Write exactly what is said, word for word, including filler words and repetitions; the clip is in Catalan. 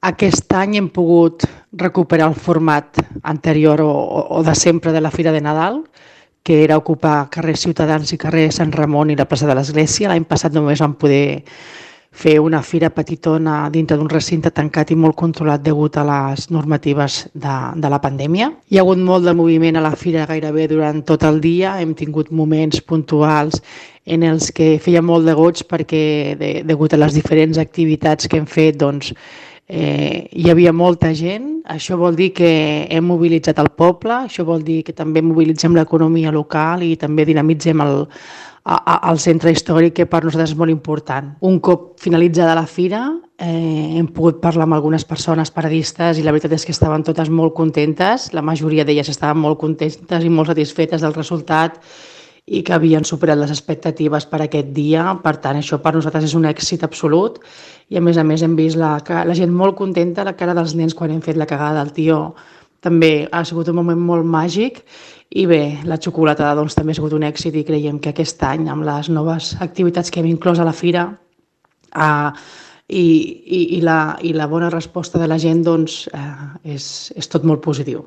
Aquest any hem pogut recuperar el format anterior o, o de sempre de la Fira de Nadal, que era ocupar carrer Ciutadans i carrer Sant Ramon i la plaça de l'Església. L'any passat només vam poder fer una fira petitona dintre d'un recinte tancat i molt controlat degut a les normatives de, de la pandèmia. Hi ha hagut molt de moviment a la fira gairebé durant tot el dia. Hem tingut moments puntuals en els que feia molt de goig perquè, de, degut a les diferents activitats que hem fet, doncs, eh, hi havia molta gent. Això vol dir que hem mobilitzat el poble, això vol dir que també mobilitzem l'economia local i també dinamitzem el, al centre històric, que per nosaltres és molt important. Un cop finalitzada la fira, eh, hem pogut parlar amb algunes persones paradistes i la veritat és que estaven totes molt contentes. La majoria d'elles estaven molt contentes i molt satisfetes del resultat i que havien superat les expectatives per aquest dia. Per tant, això per nosaltres és un èxit absolut i a més a més hem vist la, la gent molt contenta, la cara dels nens quan hem fet la cagada del tió. També ha sigut un moment molt màgic i bé, la xocolatada doncs, també ha sigut un èxit i creiem que aquest any, amb les noves activitats que hem inclòs a la fira eh, i, i, i, la, i la bona resposta de la gent, doncs, eh, és, és tot molt positiu.